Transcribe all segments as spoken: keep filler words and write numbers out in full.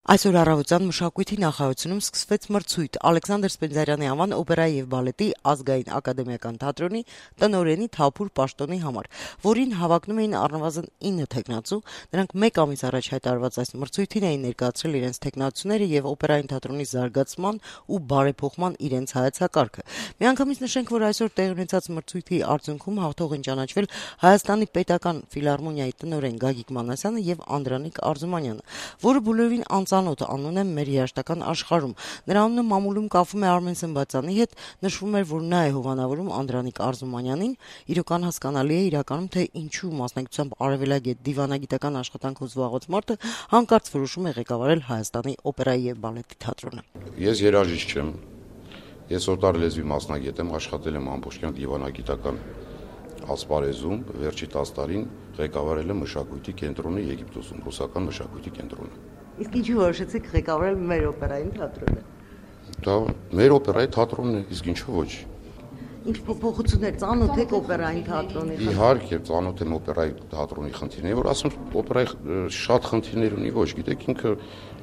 Այսօր առավոտյան Մշակույթի նախարարությունում սկսվեց մրցույթ Ալեքսանդր Սպենդիարյանի անվան օպերայի եւ բալետի ազգային ակադեմիական թատրոնի տնօրենի Թափուր պաշտոնի համար, որին հավակնում էին առնվազն ինը թեկնածու. նրանք մեկ ամիս առաջ հայտարարված այս մրցույթին էին ներկայացրել իրենց թեկնածուները եւ օպերային թատրոնի զարգացման ու բարեփոխման իրենց հայեցակարգը։ Միանգամից նշենք, որ այսօր տեղի ունեցած մրցույթի արդյունքում հաղթող են ճանաչվել Հայաստանի պետական ֆիլհարմոնիայի տնօրեն Գագիկ Մանասյանը եւ Անդրանիկ Արզումանյանը, որը բոլորին անծանոթ անուն է մեր երաժշտական աշխարհում։ Նրա անունը մամուլում կապվում է Արմեն Սմբատյանի հետ, նշվում էր, որ նա է հովանավորում Անդրանիկ Արզումանյանին, իրական հասկանալի է իրականում, թե ինչու մասնակցությամբ արևելագետ դիվանագիտական աշխատանքով զբաղված մարդը հանկարծ որոշում է ղեկավարել Հայաստանի օպերայի եւ բալետի թատրոնը։ Ես երաժիշտ չեմ, ես օտար լեզվի մասնագետ եմ, աշխատել եմ ամբողջական դիվանագիտական ասպարեզում, վերջի տասը տարին ղեկավարել եմ մշակույթի կենտրոնը Եգիպտոսում, ռուսական մշակույթի կենտրոնը։ Իսկ ինչու որոշեցիք ղեկավարել մեր օպերային թատրոնը։ Դա մեր օպերայի թատրոնն է, իսկ ինչու ոչ։ Ինչ փոփոխություններ ծանոթ եք օպերային թատրոնի։ Իհարկե, ծանոթ եմ օպերայի թատրոնի խնդիրներին, որ ասում օպերայի շատ խնդիրներ ունի, ոչ, գիտեք, ինքը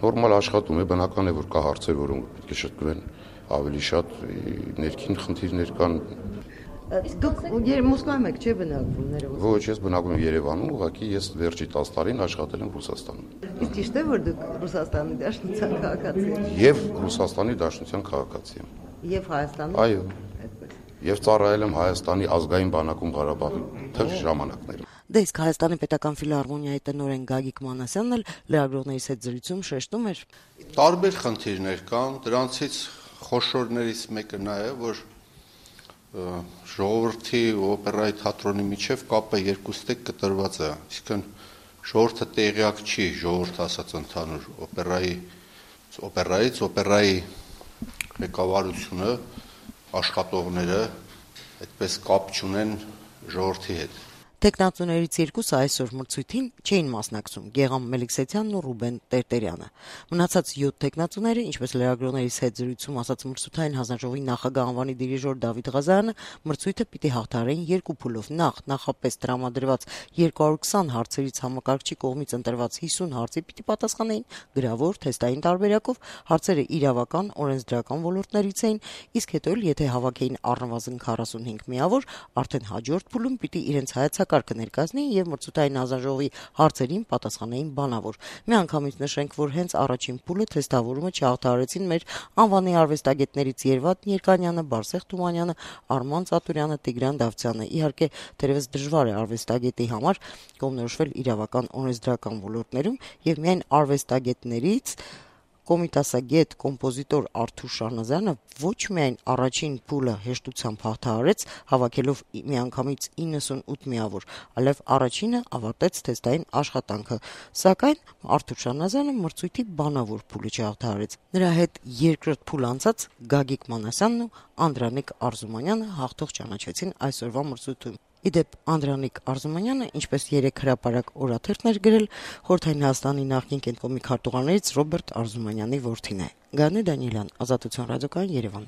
նորմալ աշխատում է, բնական է, որ կա հարցեր, որոնք պետք է շտկվեն, ավելի շատ ներքին խնդիրներ կան։ Դուք Մոսկվայում եք, չէ՞ բնակվում ներողություն։ Ոչ, ես բնակվում եմ Երևանում, ուղղակի ես վերջի տասը տարին աշխատել եմ Ռուսաստանում։ Իսկ ճիշտ է, որ դուք Ռուսաստանի Դաշնության քաղաքացի եք։ Եվ Ռուսաստանի Դաշնության քաղաքացի եմ։ Եվ Հայաստանում։ Այո։ Եվ ծառայել եմ Հայաստանի ազգային բանակում Ղարաբաղի թեժ ժամանակներում։ Դե իսկ Հայաստանի պետական ֆիլհարմոնիայի տնօրեն Գագիկ Մանասյանն էլ լրագրողներից հետ զրույցում շեշտում էր. Տարբեր խնդիրներ կան, դրանցից խոշորներից մեկը նա է, որ ժողովրդի ու օպերայի թատրոնի միջև կապը երկուստեք կտրված է, այսինքն ժողովուրդը տեղյակ չի, ժողովուրդ ասած ընդհանուր օպերայի օպերայից, օպերայի ղեկավարությունը, աշխատողները այդպես կապ չունեն ժողովրդի հետ։ Տեխնացուներից երկուսը այսօր մրցույթին չէին մասնակցում՝ Գեգամ Մելիքսեթյանն ու Ռուբեն Տերտերյանը։ Մնացած յոթ տեխնացուները, ինչպես լրագրողներից հետ զրույցում ասաց մրցութային հանձնաժողովի նախագահ անվանի դիրիժոր Դավիթ Ղազարյանը, մրցույթը պիտի հաղթահարեն երկու փուլով՝ նախ նախապես տրամադրված երկու հարյուր քսան հարցերից համակարգչի կողմից ընտրված հիսուն հարցի պիտի պատասխանեին գրավոր, թեստային տարբերակով, հարցերը իրավական, օրենսդրական ոլորտներից էին, իսկ հետո էլ եթե հավաքեին առնվազն քառասունհինգ միավոր, արդեն հաջորդ փուլում պիտի իրենց հայեցակարգը ներկայացնեին եւ մրցութային հանձնաժողովի հարցերին պատասխանեին բանավոր։ Միանգամից նշենք, որ հենց առաջին փուլը թեստավորումը չհաղթահարեցին մեր անվանի արվեստագետներից Երվատ Ներկանյանը, Բարսեղ Թումանյանը, Արման Ծատուրյանը, Տիգրան Դավթյանը։ Իհարկե, թերևս դժվար է արվեստագետի համար կողմնորոշվել իրավական, օրենսդրական ոլորտներում եւ միայն արվեստագետներից կոմիտասագետ, կոմպոզիտոր Արթուր Շահնազարյանը ոչ միայն առաջին փուլը հեշտությամբ հաղթահարեց, հավաքելով միանգամից իննսունութ միավոր, այլև առաջինը ավարտեց թեստային աշխատանքը։ Սակայն Արթուր Շահնազարյանը մրցույթի բանավոր փուլը չհաղթահարեց։ Նրա հետ երկրորդ փուլ անցած Գագիկ Մանասյանն ու Անդրանիկ Արզումանյանը հաղթող ճանաչվեցին այսօրվա մրցույթում։ Իդեպ Անդրանիկ Արզումանյանը, ինչպես երեք հրապարակ օրաթերթն էր գրել, Խորհրդային Հայաստանի նախկին կենտրոնի քարտուղարներից Ռոբերտ Արզումանյանի որդին է։ Գաներ Դանիելյան, Ազատություն ռադիոկայան, Երևան։